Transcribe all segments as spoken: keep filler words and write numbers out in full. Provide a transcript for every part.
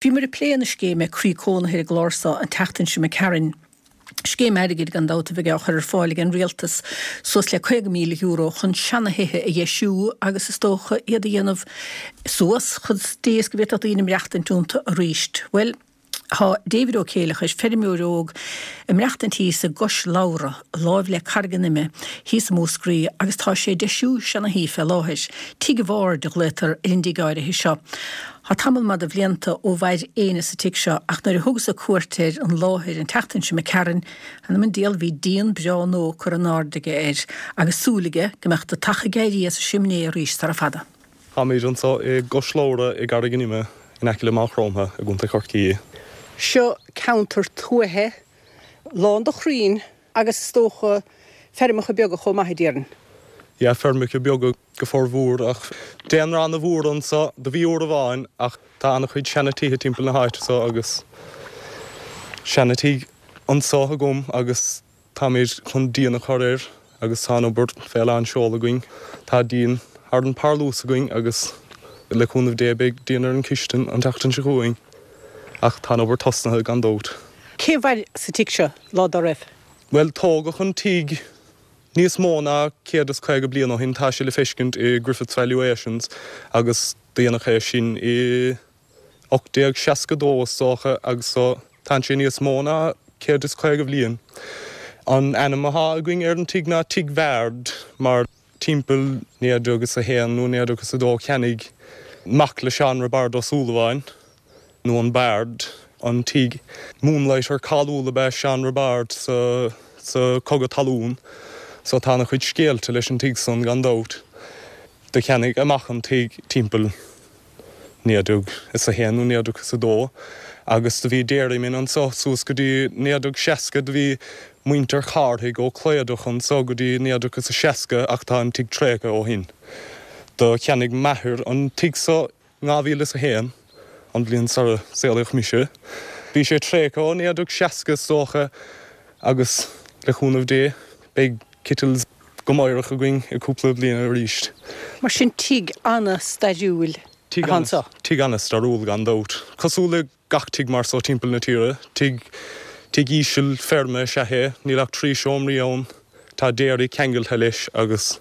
Bhíomar ag plé na scéime Croí Cónaithe ar an gclár seo an tseachtain seo imigh tharainn. Scéim airgid gan dabht a bheidh á chur ar fáil ag an rialtas suas le caoga míle euro chun seanathithe a dheisiú agus is dócha iad a dhéanamh suas chomh deas go bhféadfadh daoine maireachtaint iontu arís. Well, Tá David Ó Céileachair, feirmeoir óg, ag maireachtaint thíos i gCois Lobhra, láimh le Carraig an Ime, thíos i Múscraí, agus tá sé ag deisiú seanathí fé láthair. Tigh an Bhaird a ghlaotar ar an dtigh áirithe seo. Tá tamall maith de bhlianta ó mhair éinne sa tigh seo, ach nuair a thugas-sa cuairt ar an láthair an tseachtain seo imigh tharainn, th'anam 'on diabhal bhí díon breá nua curtha in airde aige air, agus súil aige go mbeadh deatach ag éirí as an simné arís sara fada. Táimid anseo i gCois Lobhra i gCarraig an Ime in aice le Maigh Chromtha i gContae Chorcaí. Seo ceantar tuaithe, lán de chrainn agus is dócha feirmeacha beaga chomh maith, a déarfainn. Yeah, feirmeacha beaga go formhór ach daonra an-mhór anseo do bhí uair amháin ach tá an-chuid seanatithe timpeall na háite seo agus seanatigh anseo agam agus táimid chun díon a chur air agus tá an obair fé lán seol againn. Tá díon thar an parlús againn agus le cúnamh Dé beidh díon ar an chistin an tseachtain seo chugainn. Ach tá an obair tosnaithe gan dabht. Cé a mhair sa tigh seo lá dá raibh? Bhuel, tógadh an tigh níos mó ná céad is caoga bliain ó shin, tá sé le feiscint i Griffith's Valuations agus déanadh é sin i ocht déag seasca dó is dócha agus so tá sé níos mó ná céad is caoga bliain. An ainm atá againn ar an tigh ná Tigh Bhaird mar timpeall naoi déag is a haon nó naoi déag is a dó cheannaigh mac le Seán Roibeárd Ó Súilleabháin, nó an Bard, an tigh. Moonlighter cáiliúil ab ea Seán Roibeárd sa sa Cogadh Talún, so tá an-chuid scéalta leis an tigh san gan dabht. Do cheannaigh a mhac an tigh timpeall naoi déag is a haon nó naoi déag is a dó agus do bhí dairyman anso suas go dtí naoi déag seasca, do bhí muintir Chárthaigh ó Chlódach anso go dtí naoi déag is a seasca ach tá an tigh tréigthe ó shin. Do cheannaigh m'athair an tigh so dhá mhíle is a haon, an bhliain sara saolaíodh mise. Bhí sé tréigthe ó naoi déag seasca is dócha agus le cúnamh Dé beidh kettles go meidhreach againn i cúpla bliain arís. Mar sin tigh an-stairiúil atá anseo. Tigh an-stairiúil gan dabht. Cosúil le gach tigh mar so timpeall na tíre, tigh tigh íseal feirme is ea é, níl ach trí seomraí ann, tá dairy ceangailte leis agus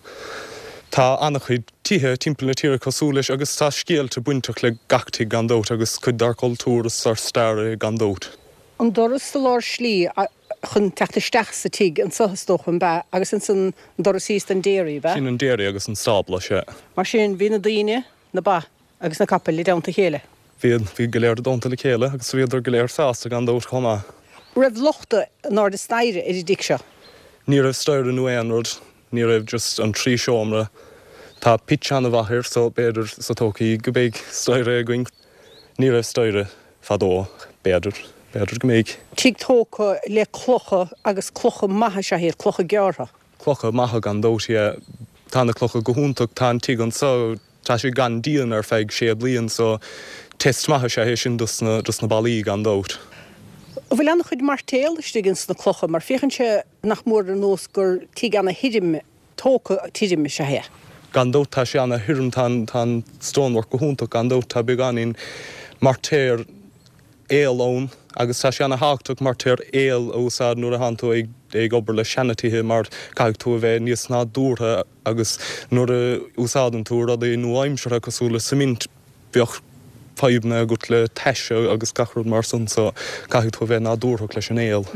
tá an-chuid tithe timpeall na tíre cosúil leis agus tá scéalta bainteach le gach tigh gan dabht agus cuid dár cultúr is dár stair é gan dabht. An doras sa lár slí chun teacht isteach sa tigh anseo is dócha, an b'ea? Agus ansan an doras thíos don dairy, ab ea? Sin an dairy agus an stábla, sea. Mar sin bhí na daoine, na ba agus na capaill i dteannta a chéile. Bhí, bhí go léir i dteannta le chéile agus bhíodar go léir sásta gan dabht chomh maith. Raibh lochta in airde staighre ar an dtigh seo? Ní raibh staighre nó aon rud, ní raibh, just an trí seomra. Tá pitch an-mhaith air so b'fhéidir sa todhchaí go mbeidh staighre againn. Ní raibh staighre fadó, b'fhéidir, b'fhéidir go mbeidh. Tigh tógtha le clocha agus clocha maithe is ea iad, clocha gearrtha. Clocha maithe gan dabht, yeah. Tá na clocha go hiontach, tá an tigh anseo, tá sé gan díon ar feadh sé bliain so test maith is ea é sin dos na, dos na ballaí gan dabht. An bhfuil an-chuid mairtéal istigh ins na clocha mar féachann sé nach mór ar nós gur tigh ana-thirim, tógtha tirim is ea é? Gan dabht tá sé ana-thirim, tá an, tá an stonework go hiontach gan dabht, tá beagáinín mairtéal aoil ann agus tá sé ana-thábhachtach mairtéal aoil a úsáid nuair a thánn tú ag, ag obair le seanatithe mar caithfidh tú a bheith níos nádúrtha agus nuair a úsáideann tú rudaí nua-aimseartha cosúil le cement bheadh fadhbanna agat le taise agus gach rud mar san so caithfidh tú a bheith nádúrthach leis an aol.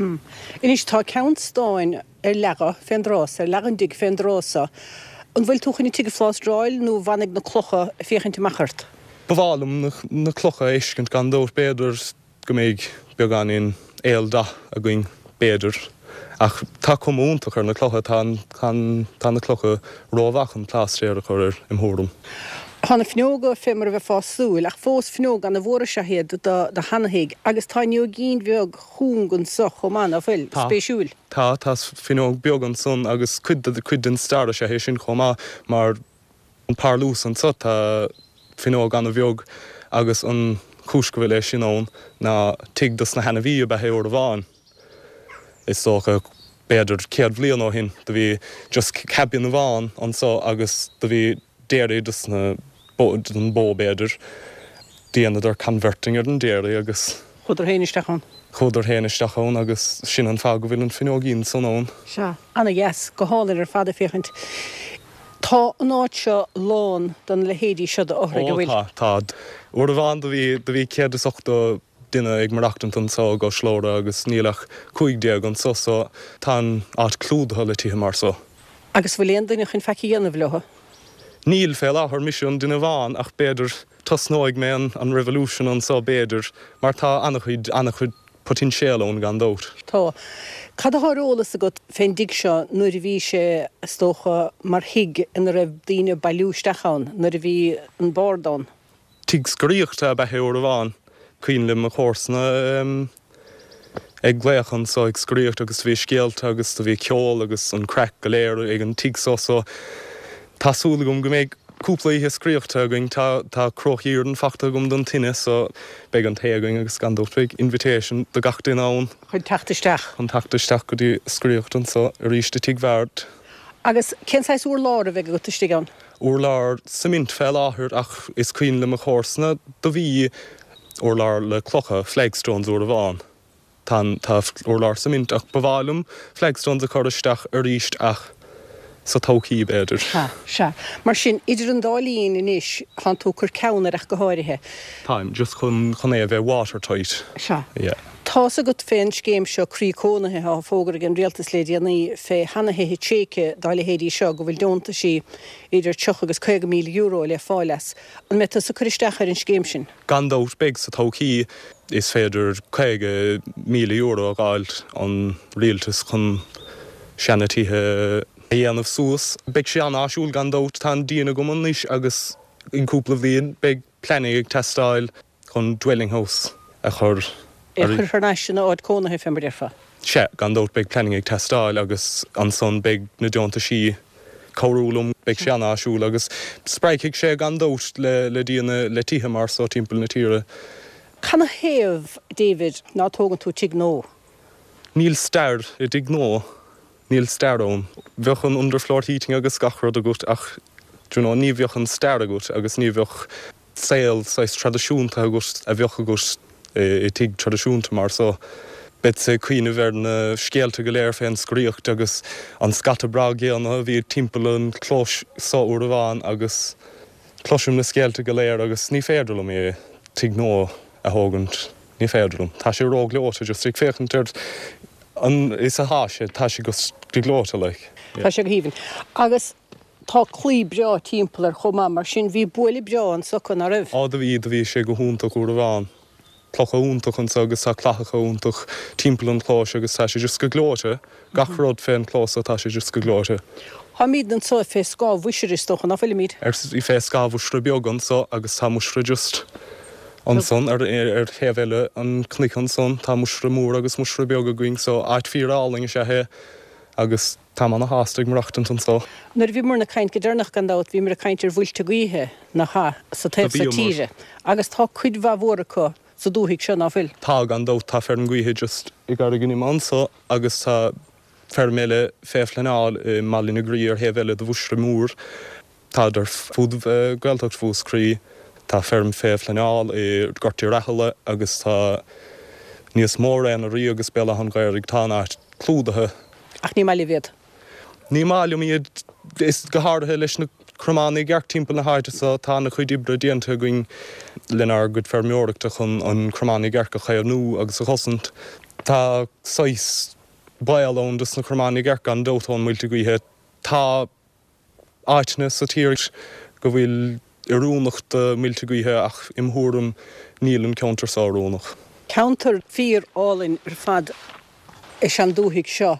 Anois tá ceann stáin ar leagadh fén dtrás, ar leagadh an dtigh fén dtrás so. An bhfuil tú chun an tigh a phlástráil nó an bhfanfaidh na clocha ag féachaint amach ort? Ba mhaith liom na clocha a fheiscint gan dabht, b'fhéidir go mbeidh beagáinín aoldath againn, b'fhéidir. Ach tá cuma iontach ar na clocha, tá tá na clocha rómhaith chun plástaer a chur air, im thuairim. Tá na fuinneoga fé mar a bheifeá ag súil, ach fós fuinneog ana-mhór is ea iad do do sheanathigh agus tá fhuinneoigín bheag chúng anso chomh maith, ná fuil? Tá. Spéisiúil. Tá, tá fuinneog beag ansan agus cuid de cuid den stair is ea é sin chomh maith mar an parlús anso tá fuinneog ana-bheag agus an chúis go bhfuil é sin ann ná tigh dos na hainmhí ab ea é uair amháin. Is dócha b'fhéidir céad bhliain ó shin do bhí just cabin amháin anso agus do bhí dairy dos na bó, don bó b'fhéidir. Dheineadar converting ar an dairy agus. Chuadar féin isteach ann. Chuadar féin isteach ann agus sin an fáth go bhfuil an fuinneoigín san ann. Sea, ana-dheas, go hálainn ar fad ag féachaint. Tá an áit seo lán den leithéidí seo d'fhothraigh, an bhfuil? Ó tá, tá. Uair amháin do bhí, do bhí céad is ochtó duine ag maireachtaint anso i gCois Lora agus níl ach cúig déag anso so tá an áit clúdaithe le tithe mar so. Agus bhfuil aon duine chun faic a dhéanamh leo? Níl, fé láthair, mise an duine amháin ach b'fhéidir tosnóidh mé an an revolution anso b'fhéidir mar tá an-chuid, an-chuid poitinséal ann gan dabht. Tá. Cad atá ar eolas agat fén dtigh seo nuair a bhí sé, is dócha, mar thigh ina raibh daoine ag bailiú isteach ann, nuair a bhí an bord ann? Tigh scoraíochta ab ea é uair amháin. Cuimhin le mo chomharsana ag glaoch anso ag scoraíocht agus do bhí scéalta agus do bhí ceol agus an craic go léir ag an tigh so so tá súil agam go mbeidh cúpla oíche scoraíochta againn. Tá tá cróch iarainn fachta agam don tine so beidh an tae againn agus gan dabht beidh invitation do gach duine ann. Chun teacht isteach. Chun teacht isteach go dtí scoraíocht anso arís i Tigh Bhaird. Agus cén saghas urlár a bheidh agat istigh ann? Urlár suimint fé láthair ach is cuimhin le mo chomharsana do bhí urlár le clocha, flagstones uair amháin. Tá an, tá urlár suimint ach ba mhaith liom flagstones a chur isteach arís ach sa todhchaí b'fhéidir. Sea, sea. Mar sin, idir an dá linn anois, tánn tú ag cur ceann air ach go háirithe. Táim, just chun, chun é a bheith watertight. Sea. Yeah. Tá's agat fén scéim seo Croí Cónaithe atá fógartha ag an Rialtas le déanaí fé sheana-thithe tréigthe dá leithéidí seo go bhfuil deontaisí idir tríocha agus caoga míle euro le fáil as. An mbeidh tusa ag cur isteach ar an scéim sin? Gan dabht beidh sa todhchaí. Is féidir caoga míle euro a dh'fháilt ón rialtas chun seana-tithe a dhéanamh suas. Beidh sé an-áisiúil gan dabht. Tá an díon agam anois agus in cúpla bhliain beidh planning ag teastáil chun dwelling house a chur É a chur thar n-ais ina áit cónaithe, fé mar a déarfá. Sea, gan dabht beidh planning ag teastáil agus ansan beidh na deontaisí cabhrú liom. Beidh sé an-áisiúil agus spreagfaidh sé gan dabht le le daoine le tithe mar so timpeall na tíre. Canathaobh, David, ná tógann tú tigh nua? Níl stair i dtigh nua. Níl stair ann. Bheadh an underfloor heating agus gach rud agat ach do you know ní bheadh an stair agat agus ní bheadh saol saghas traidisiúnta agat a bheadh agat i dtigh traidisiúnta mar so. Beadsa ag cuimhneamh ar na scéalta go léir fén scoraíocht agus an scata breá géanna a bhí timpeall an chlóis so uair amháin agus cloisim na scéalta go léir agus ní féidir liom é, tigh nua a thógaint, ní féidir liom. Tá sé ró-ghleoite just ag féachaint ar an is atá sé, tá sé just go gleoite like. Tá sé go haoibhinn. Agus tá claí breá timpeall air chomh maith, mar sin bhí buaile breá anso acu, ná raibh? Á do bhí, do bhí sé go hiontach uair amháin. Clocha iontach anso agus tá clathacha iontach timpeall an chlóis agus tá sé just go gleoite. Gach rud fén chlós so tá sé just go gleoite. Táimid anso fé scáth Mhuisire is dócha, ná fuilimid? Ar fé scáth Mhuisire Beag anso agus tá Muisire just ansan ar ar thaobh eile an chnoic ansan. Tá Muisire Mór agus Muisire Beag againn so áit fíor álainn is ea é agus táim ana shásta ag maireachtaint anso. Nuair a bhíomar ag caint go deireanach gan dabht bhíomar ag caint ar mhuilte gaoithe, nach ea, sa taobh so tíre agus tá cuid mhaith mhór acu sa dúthaigh seo, ná fuil? Tá, gan dabht, tá feirm gaoithe just i gCarraig an Ime anso agus tá feirm eile fé phleanáil i mBaile na Graí ar thaobh eile de Mhuisire Mór. Táid ar fud Ghaeltacht Mhúscraí. Tá feirm fé phleanáil i nGort Oirialla agus tá níos mó ar na Rí agus Béal Átha an Ghaorthaidh. Tá an áit clúdaithe. Ach ní maith libh iad. Ní maith liom iad, is go háirithe leis na cromáin i gceart timpeall na háite so. Tá ana chuid oibre déanta againn lenár gcuid feirmeoireachta chun an cromán i gceart a chaomhnú agus a chosaint. Tá saghas baol ann dos na cromáin i gceart gan dabht ón muilte gaoithe. Tá áiteanna sa tír go bhfuil oiriúnach do muilte gaoithe ach im thuairim níl an ceantar so oiriúnach. Ceantar fíor álainn ar fad is ea an dúthaigh seo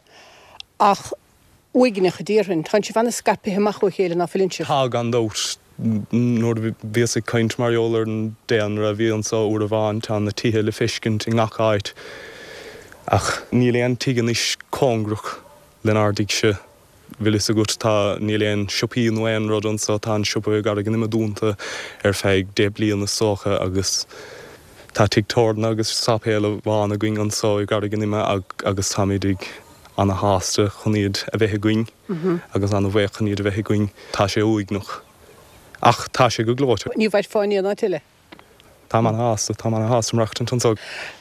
ach uaigneach a déarfainn. Tánn sibh ana-scaipthe amach ó chéile ná fuileann sibh? Tá, gan dabht. Nuair a bhíos ag caint mar gheall ar an daonra a bhí anso uair amháin, tá na tithe le feiscint i ngach áit ach níl aon tigh anois cóngarach lenár dtighse. Bhfuil fhios agat, tá, níl aon siopaí nó aon rud anso, tá an siopa i gCarraig an Ime dúnta ar feadh deich bliana is dócha agus tá tigh tábhairne agus sáipéal amháin againn anso i gCarraig an Ime agus táimid ag ana-shásta chun iad a bheith againn agus ana-bhuíoch chun iad a bheith againn. Tá sé uaigneach ach tá sé go gleoite. Ní mhairfeá in aon áit eile. Táim ana-shásta, táim ana-shásta maireachtaint anso.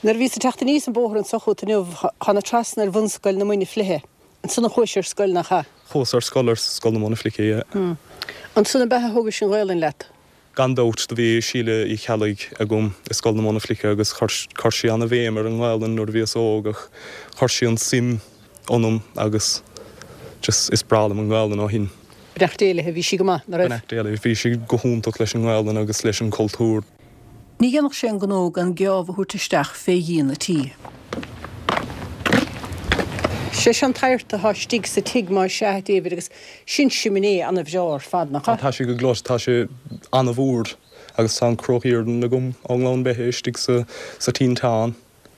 Nuair a bhíos ag teacht aníos an bóthar anso chugat inniu, thána trasna ar Bhunscoil na Muine Fliche. Ansan a chuais ar scoil, nach ea? Chuas ar scoil ar Scoil na Móna Fliche, yeah. Ansan ab ea a thógais an Ghaelainn leat? Gan dabht, do bhí Síle Uí Cheallaigh agam i Scoil na Móna Fliche agus chuir sí ana-bhéim ar an nGaelainn nuair a bhíos óg ach chuir sí an suim ionam agus just is breá liom an Ghaelainn ó shin. Beannacht Dé léi, bhí sí go maith, nach raibh? Beannacht Dé léi, bhí sí go hiontach leis an nGaelainn agus leis an cultúr. Ní dhéanfadh sé an gnó gan geábh a thabhairt isteach fé dhíon a' tí. Sé seo an t-adhart atá istigh sa tigh más ea, a David, agus sin siminé ana-bhreá ar fad, nach ea? Tá sé go gleoite, tá sé ana-mhór agus tá an cruach iarainn agam ón nGleann Beithe istigh sa sa tinteán.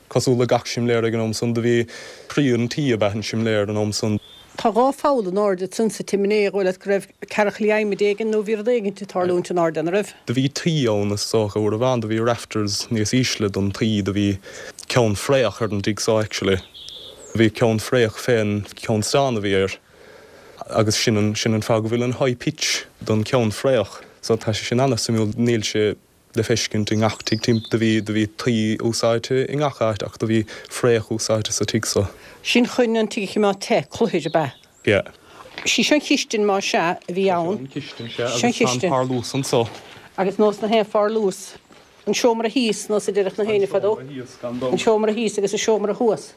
Cosúil le gach simléar ag an am san, do bhí croí an tí ab ea an simléar an am san. Tá dhá pholl in airde ansan sa tsiméiné, dhóigh leat go raibh cearchaillí adhmaid éigin nó bhí rud éigin ag tarlúint in airde, an raibh? Do bhí tuí ann is dócha uair amháin, do bhí rafters níos ísle don tuí, do bhí ceann fraoch ar an dtigh so actually. Bhí ceann fraoch fén ceann stáin a bhí air agus sin an, sin an fáth go bhfuil an high pitch don ceann fraoch. So tá sé sin ana-suimiúil, níl sé le feiscint i ngach tigh timp do bhí do bhí tuí úsáidte i ngach áit ach do bhí fraoch úsáidte sa tigh so. Sin chun an tigh a choimeád te, cluthair ab ea? Yeah. Sí seo an chistin más ea a bhí ann. Seo an chistin, sea, Seo an agus tá an chistin. parlús anso. Agus nós na haon pharlús. An seomra thíos, nós a deireadh na An héinne fadó. seomra thíos, gan An dabht. seomra thíos agus an seomra thuas.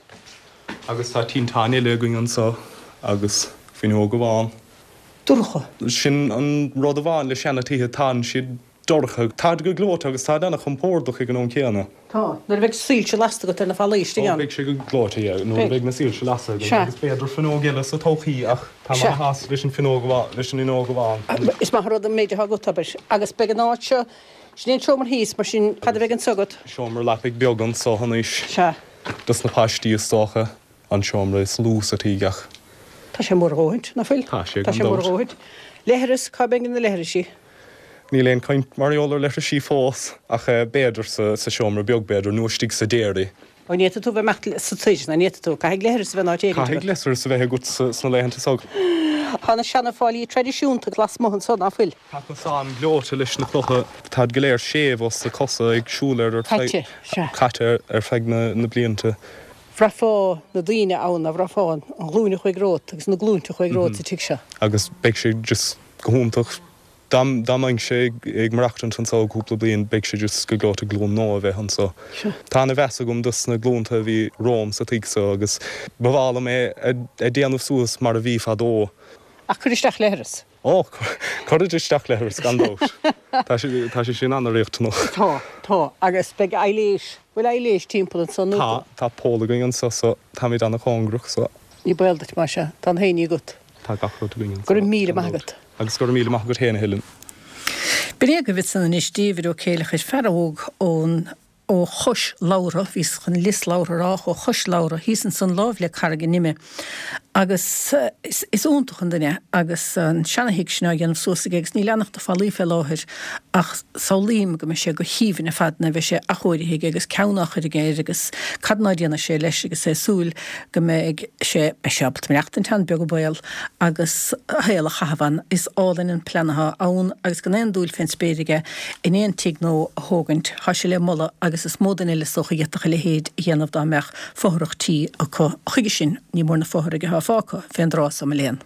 Agus tá tinteán eile againn anso agus fuinneog amháin. Dorcha. Sin an rud amháin le seana-tithe, tánn siad dorcha. Táid go gleoite agus táid ana-chompordach ag an am céanna. Tá. Nuair a bheidh soilse lasta agat ar na fallaí istigh Ó, ann. beidh sé go gleoite, yeah, nuair a Beidh. bheidh na soilse lasta agam. Sea. Agus b'fhéidir fuinneog eile sa todhchaí ach tá mé Sea. ana-shásta leis an fuinneog amháin, leis an fhuinneog amháin. Is maith an rud an méid atá agat, abair. Agus beidh an áit seo, sin é an seomra thíos, mar sin cad a bheidh anso agat? Seomra leapaidh beag anso anois. Sea. Dos na páistí is dócha an seomra is lú sa tigh ach. Tá sé mór a dhóthaint, nach bhfuil? Tá sé, Tá gan sé mór a dabht. dhóthaint. Leithreas, cá mbeidh na leithrisí? Níl aon chaint mar gheall ar leithrisí fós, ach b'fhéidir sa sa seomra beag b'fhéidir, nó istigh sa dairy. Ó ní fhéadfaidh tú bheith amach sa tigh, ná ní fhéadfaidh tú, caithfidh leithreas a bheith in áit éigin Caithfidh agat. leithreas a bheith agat sna laethanta so. Tá na seana-fháillí traidisiúnta lasmuigh anso, ná fuil? Tá cosán gleoite leis na clocha, táid go léir séimh os na cosa ag siúl ar ar feadh Caite, sea. caite ar feadh na na blianta. Bhraithfeá na daoine ann, a bhraithfeá an ghlúin a chuaigh romhat agus na glúinte a chuaigh romhat sa tigh seo. Agus beidh sé just go hiontach dá dá mbeinnse ag maireachtaint anso cúpla bliain beidh sé just go gleoite glúin nua a bheith anso. Seo. Tá ana-mheas agam dos na glúnta a bhí romham sa tigh so agus ba mhaith liom é a déanamh suas mar a bhí fadó. Ach cuir isteach leithreas. Ó, cuirfead isteach leithreas gan dabht. Tá sé tá sé sin ana-riachtanach. Tá, tá, agus beidh aibhléis, bhfuil aibhléis timpeall anso nó? Tá, tá poll againn anso so táimid ana-chóngarach so. Ní baol duit más ea, tá an fhéinní agat. Tá gach rud againn anso. Go raibh míle gan maith dabht. agat. Agus go raibh míle maith agat féin a Helen. B'in é agaibh ansan anois David Ó Céileachair, fear óg ón ó Chois Labhra, bhíos chun Lios Labhra a rá, ó Chois Labhra, thíos ansan láimh le Carraig an Ime. Agus is, is iontach an duine agus an seanathigh sin á dhéanamh suas aige agus níl ann ach na fallaí fé láthair ach samhlaím go mbeidh sé go haoibhinn ar fad nuair a bheidh sé athchóirithe aige agus ceann á chur aige air agus cad ná déanfaidh sé leis agus é ag súil go mbeidh sé, beidh sé ábalta maireachtaint ann, beag an baol, agus a shaol a chaitheamh ann. Is álainn an plean atá ann agus gan aon dúil fén spéir aige in aon tigh nua a thógaint. Tá sé le moladh agus is mó duine eile is dócha a d'fhéadfadh a leithéid a dhéanamh dá mbeadh fothrach tí acu. Chuige sin, ní mór na fothraigh atá fágtha fén dtráth so, mo léan.